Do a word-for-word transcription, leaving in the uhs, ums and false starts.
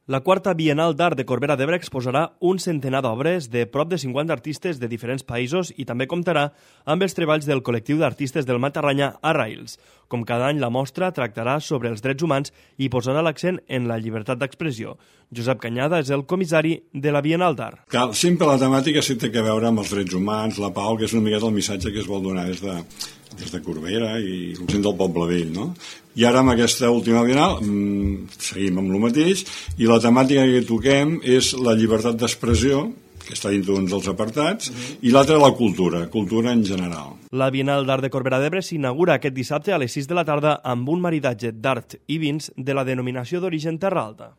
La quarta Bienal d'Art de Corbera d'Ebre exposarà un centenar d'obres de prop de cinquanta artistes de diferents països i també comptarà amb els treballs del col·lectiu d'artistes del Matarranya Arrails. Com cada any, la mostra tractarà sobre els drets humans i posarà l'accent en la llibertat d'expressió. Josep Canyada és el comissari de la Bienal d'Art. Cal, sempre la temàtica sí té a veure amb els drets humans, la pau, que és una miqueta el missatge que es vol donar des de, des de Corbera i l'occident del poble vell, no? I ara amb aquesta última Bienal mmm, seguim amb el mateix i la temàtica que toquem és la llibertat d'expressió, que està dintre d'uns dels apartats, uh-huh. i l'altra la cultura, cultura en general. La Bienal d'Art de Corbera d'Ebre s'inaugura aquest dissabte a les sis de la tarda amb un maridatge d'art i vins de la denominació d'origen Terra Alta.